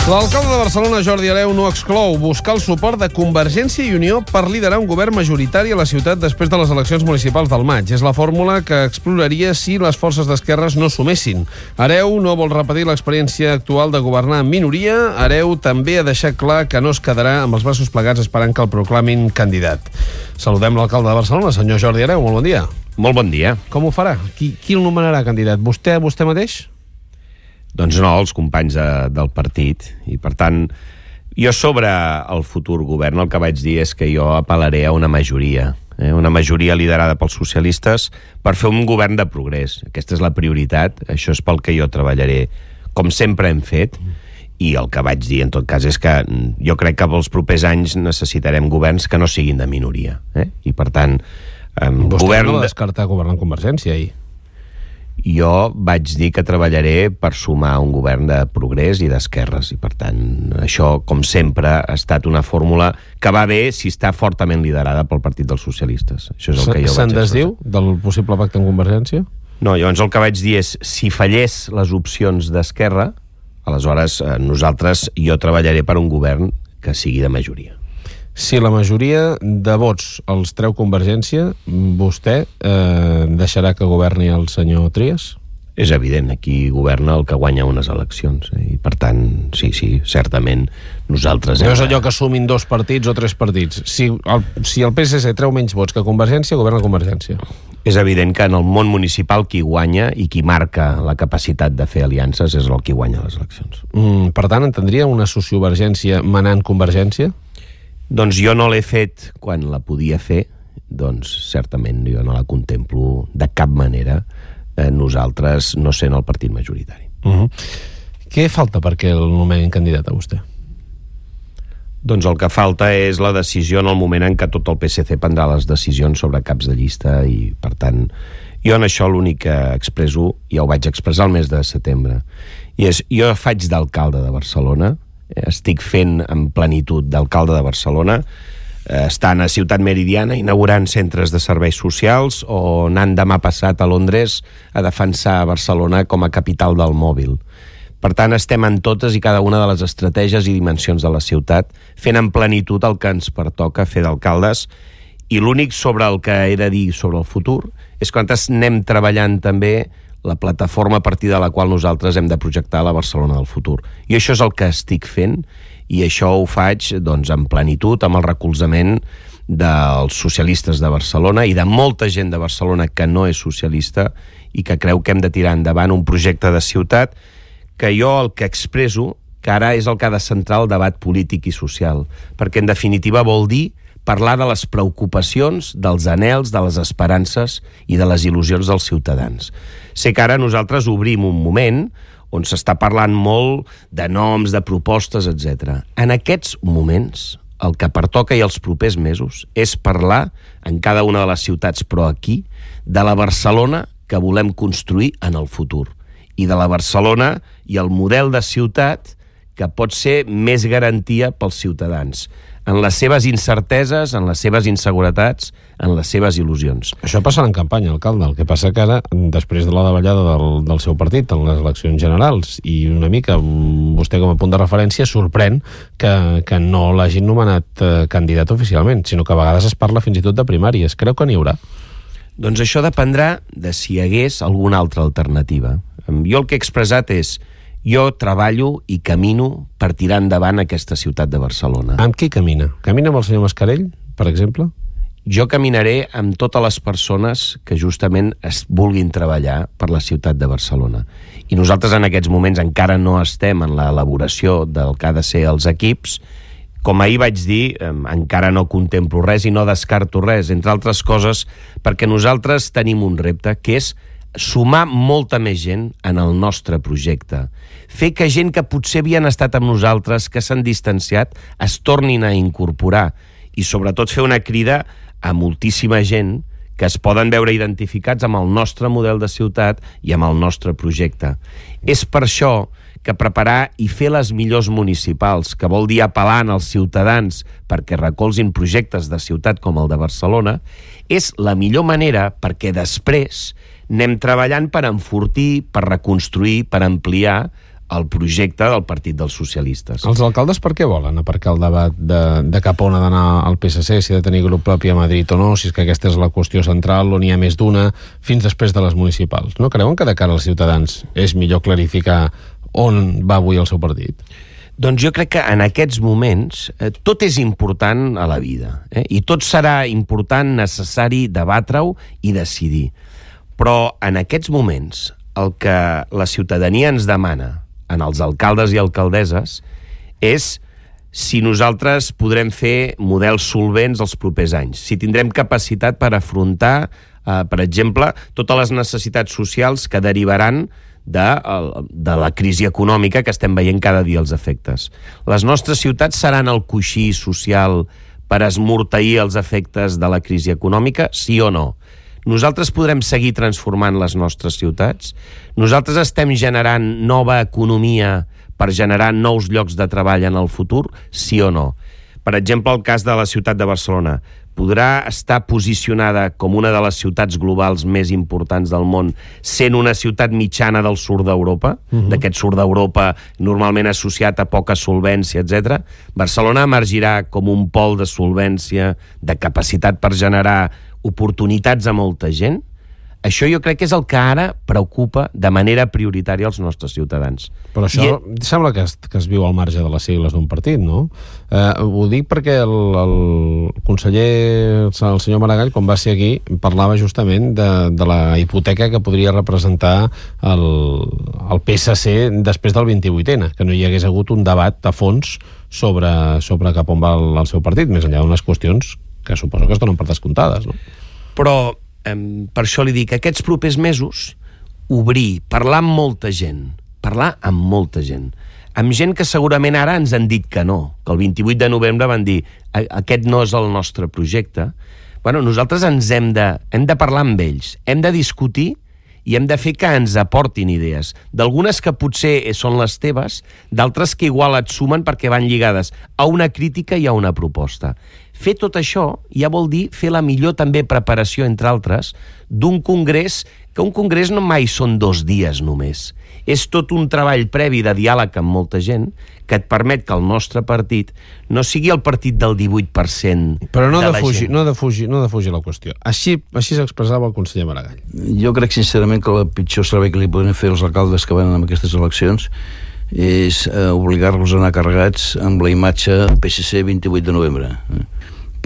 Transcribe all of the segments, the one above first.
L'alcalde de Barcelona, Jordi Hereu, no exclou buscar el suport de Convergència i Unió per liderar un govern majoritari a la ciutat després de les eleccions municipals del maig. És la fórmula que exploraria si les forces d'esquerres no sumessin. Hereu no vol repetir l'experiència actual de governar en minoria. Hereu també ha deixat clar que no es quedarà amb els braços plegats esperant que el proclamin candidat. Saludem l'alcalde de Barcelona, senyor Jordi Hereu. Molt bon dia. Molt bon dia. Com ho farà? Qui el nomenarà candidat? Vostè mateix? Doncs no, els companys del partit. I, per tant, jo sobre el futur govern el que vaig dir és que jo apel·laré a una majoria liderada pels socialistes per fer un govern de progrés. Aquesta és la prioritat, això és pel que jo treballaré, com sempre hem fet, i el que vaig dir, en tot cas, és que jo crec que pels propers anys necessitarem governs que no siguin de minoria. I, per tant, Vostè no va descartar governar en Convergència, ahir. Jo vaig dir que treballaré per sumar un govern de progrés i d'esquerres, i per tant això, com sempre, ha estat una fórmula que va bé si està fortament liderada pel Partit dels Socialistes. Això és el que jo Se'n desdiu del possible pacte amb Convergència? No, llavors el que vaig dir és, si fallés les opcions d'esquerra, aleshores jo treballaré per un govern que sigui de majoria. Si la majoria de vots els treu Convergència, vostè deixarà que governi el senyor Trias? És evident, aquí governa el que guanya unes eleccions, i per tant, sí, certament nosaltres... No és allò que sumin 2 partits o 3 partits. Si el PSC treu menys vots que Convergència, governa Convergència. És evident que en el món municipal qui guanya i qui marca la capacitat de fer aliances és el qui guanya les eleccions. Per tant, entendria una sociovergència manant Convergència? Doncs jo no l'he fet quan la podia fer, doncs certament jo no la contemplo de cap manera, nosaltres no sent el partit majoritari. Què falta perquè el nomenin candidat a vostè? Doncs el que falta és la decisió en el moment en què tot el PSC prendrà les decisions sobre caps de llista, i per tant jo en això l'únic que expresso, ja ho vaig expressar el mes de setembre, i és, jo faig d'alcalde de Barcelona, estic fent en plenitud d'alcalde de Barcelona, estant a Ciutat Meridiana inaugurant centres de serveis socials o anant demà passat a Londres a defensar Barcelona com a capital del mòbil. Per tant, estem en totes i cada una de les estratègies i dimensions de la ciutat, fent en plenitud el que ens pertoca fer d'alcaldes, i l'únic sobre el que he de dir sobre el futur és que nosaltres anem treballant també la plataforma a partir de la qual nosaltres hem de projectar la Barcelona del futur. I això és el que estic fent, i això ho faig doncs, en plenitud, amb el recolzament dels socialistes de Barcelona i de molta gent de Barcelona que no és socialista i que creu que hem de tirar endavant un projecte de ciutat que jo el que expresso, que ara és el que ha de centrar el debat polític i social, perquè en definitiva vol dir parlar de les preocupacions, dels anhels, de les esperances i de les il·lusions dels ciutadans. Sé que ara nosaltres obrim un moment on s'està parlant molt de noms, de propostes, etc. En aquests moments, el que pertoca i els propers mesos és parlar en cada una de les ciutats, però aquí, de la Barcelona que volem construir en el futur, i de la Barcelona i el model de ciutat que pot ser més garantia pels ciutadans, en les seves incerteses, en les seves inseguretats, en les seves il·lusions. Això passarà en campanya, alcalde. El que passa que ara, després de la davallada del seu partit en les eleccions generals, i una mica vostè com a punt de referència, sorprèn que no l'hagin nomenat candidat oficialment, sinó que a vegades es parla fins i tot de primàries. Creu que n'hi haurà? Doncs això dependrà de si hi hagués alguna altra alternativa. Jo el que he expressat és: jo treballo i camino per tirar endavant aquesta ciutat de Barcelona. Amb qui camina? Camina amb el senyor Mascarell, per exemple? Jo caminaré amb totes les persones que justament es vulguin treballar per la ciutat de Barcelona. I nosaltres en aquests moments encara no estem en l'elaboració del que ha de ser els equips. Com ahir vaig dir, encara no contemplo res i no descarto res, entre altres coses, perquè nosaltres tenim un repte, que és sumar molta més gent en el nostre projecte. Fer que gent que potser havien estat amb nosaltres, que s'han distanciat, es tornin a incorporar. I sobretot fer una crida a moltíssima gent que es poden veure identificats amb el nostre model de ciutat i amb el nostre projecte. És per això que preparar i fer les millors municipals, que vol dir apel·lant als ciutadans perquè recolzin projectes de ciutat com el de Barcelona, és la millor manera perquè després anem treballant per enfortir, per reconstruir, per ampliar el projecte del Partit dels Socialistes. Els alcaldes per què volen aparcar el debat de cap on ha d'anar el PSC, si ha de tenir grup propi a Madrid o no, si és que aquesta és la qüestió central o n'hi ha més d'una, fins després de les municipals? No creuen que de cara als ciutadans és millor clarificar on va avui el seu partit? Doncs jo crec que en aquests moments tot és important a la vida, i tot serà important, necessari debatre-ho i decidir. Però en aquests moments el que la ciutadania ens demana en els alcaldes i alcaldesses és si nosaltres podrem fer models solvents els propers anys, si tindrem capacitat per afrontar, per exemple, totes les necessitats socials que derivaran de la crisi econòmica que estem veient cada dia els efectes. Les nostres ciutats seran el coixí social per esmorteir els efectes de la crisi econòmica, sí o no? Nosaltres podrem seguir transformant les nostres ciutats? Nosaltres estem generant nova economia per generar nous llocs de treball en el futur? Sí o no? Per exemple, el cas de la ciutat de Barcelona. Podrà estar posicionada com una de les ciutats globals més importants del món, sent una ciutat mitjana del sud d'Europa, d'aquest sud d'Europa normalment associat a poca solvència, etc. Barcelona emergirà com un pol de solvència, de capacitat per generar oportunitats a molta gent. Això jo crec que és el que ara preocupa de manera prioritària als nostres ciutadans. Però això sembla que es viu al marge de les sigles d'un partit, no? Ho dic perquè el conseller, el senyor Maragall, quan va ser aquí, parlava justament de la hipoteca que podria representar el PSC després del 28N, que no hi hagués hagut un debat a fons sobre cap on va el seu partit, més enllà d'unes qüestions que suposo que es donen per descomptades, no? Però per això li dic, aquests propers mesos, obrir, parlar amb molta gent, amb gent que segurament ara ens han dit que no, que el 28 de novembre van dir aquest no és el nostre projecte. Bueno, nosaltres hem de parlar amb ells, hem de discutir i hem de fer que ens aportin idees, d'algunes que potser són les teves, d'altres que igual et sumen perquè van lligades a una crítica i a una proposta. Fer tot això ja vol dir fer la millor també preparació, entre altres, d'un congrés, que un congrés no mai són 2 dies només. És tot un treball previ de diàleg amb molta gent que et permet que el nostre partit no sigui el partit del 18% però no de la defugi, gent. No defugi la qüestió. Així s'expressava el conseller Maragall. Jo crec sincerament que el pitjor servei que li poden fer els alcaldes que van en aquestes eleccions és obligar-los a anar carregats amb la imatge PSC 28 de novembre.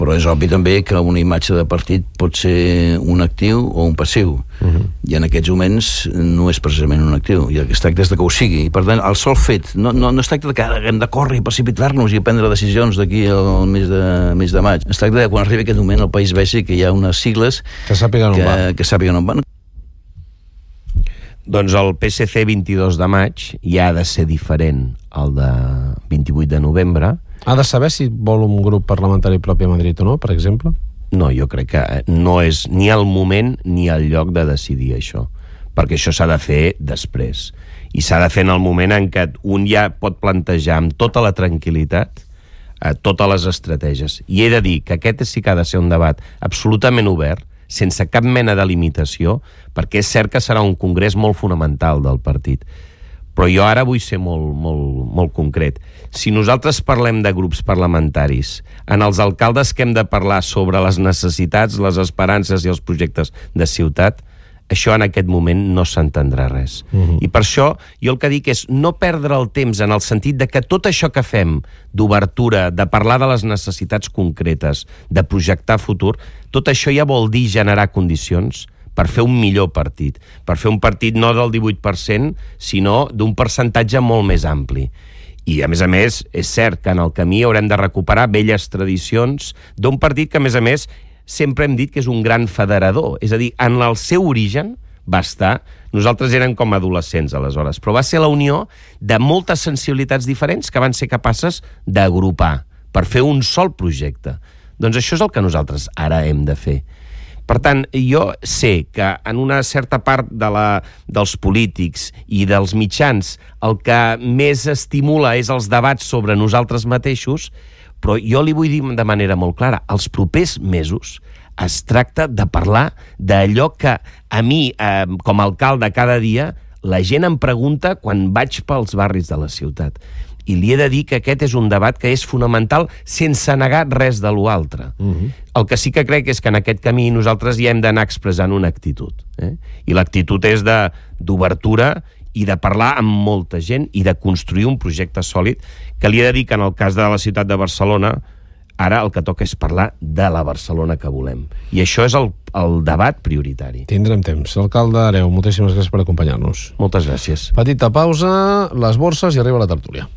Però és obvi també que una imatge de partit pot ser un actiu o un passiu, i en aquests moments no és precisament un actiu, i el que es tracta és de que ho sigui, i per tant el sol fet no es tracta de que hem de córrer i precipitar-nos i prendre decisions d'aquí al mes de maig, es tracta de que quan arribi aquest moment el país vegi que hi ha unes sigles que sàpiguen on van. Doncs el PSC 22 de maig ja ha de ser diferent al de 28 de novembre. Ha de saber si vol un grup parlamentari propi a Madrid o no, per exemple? No, jo crec que no és ni el moment ni el lloc de decidir això, perquè això s'ha de fer després. I s'ha de fer en el moment en què un ja pot plantejar amb tota la tranquil·litat totes les estratègies. I he de dir que aquest sí que ha de ser un debat absolutament obert, sense cap mena de limitació, perquè és cert que serà un congrés molt fonamental del partit. Però jo ara vull ser molt concret. Si nosaltres parlem de grups parlamentaris, en els alcaldes que hem de parlar sobre les necessitats, les esperances i els projectes de ciutat, això en aquest moment no s'entendrà res. I per això jo el que dic és no perdre el temps en el sentit de que tot això que fem d'obertura, de parlar de les necessitats concretes, de projectar futur, tot això ja vol dir generar condicions per fer un millor partit, per fer un partit no del 18%, sinó d'un percentatge molt més ampli. I, a més, és cert que en el camí haurem de recuperar velles tradicions d'un partit que, a més, sempre hem dit que és un gran federador. És a dir, en el seu origen va estar... Nosaltres érem com adolescents, aleshores, però va ser la unió de moltes sensibilitats diferents que van ser capaces d'agrupar per fer un sol projecte. Doncs això és el que nosaltres ara hem de fer. Per tant, jo sé que en una certa part dels polítics i dels mitjans el que més estimula és els debats sobre nosaltres mateixos, però jo li vull dir de manera molt clara, els propers mesos es tracta de parlar d'allò que a mi, com a alcalde cada dia, La gent em pregunta quan vaig pels barris de la ciutat. I li he de dir que aquest és un debat que és fonamental sense negar res de l'altre. El que sí que crec és que en aquest camí nosaltres ja hem d'anar expressant una actitud. I l'actitud és d'obertura i de parlar amb molta gent i de construir un projecte sòlid, que li he de dir que en el cas de la ciutat de Barcelona ara el que toca és parlar de la Barcelona que volem. I això és el debat prioritari. Tindrem temps. Alcalde Hereu, moltíssimes gràcies per acompanyar-nos. Moltes gràcies. Petita pausa, les borses i arriba la tertúlia.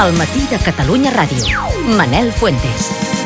El matí de Catalunya Ràdio. Manel Fuentes.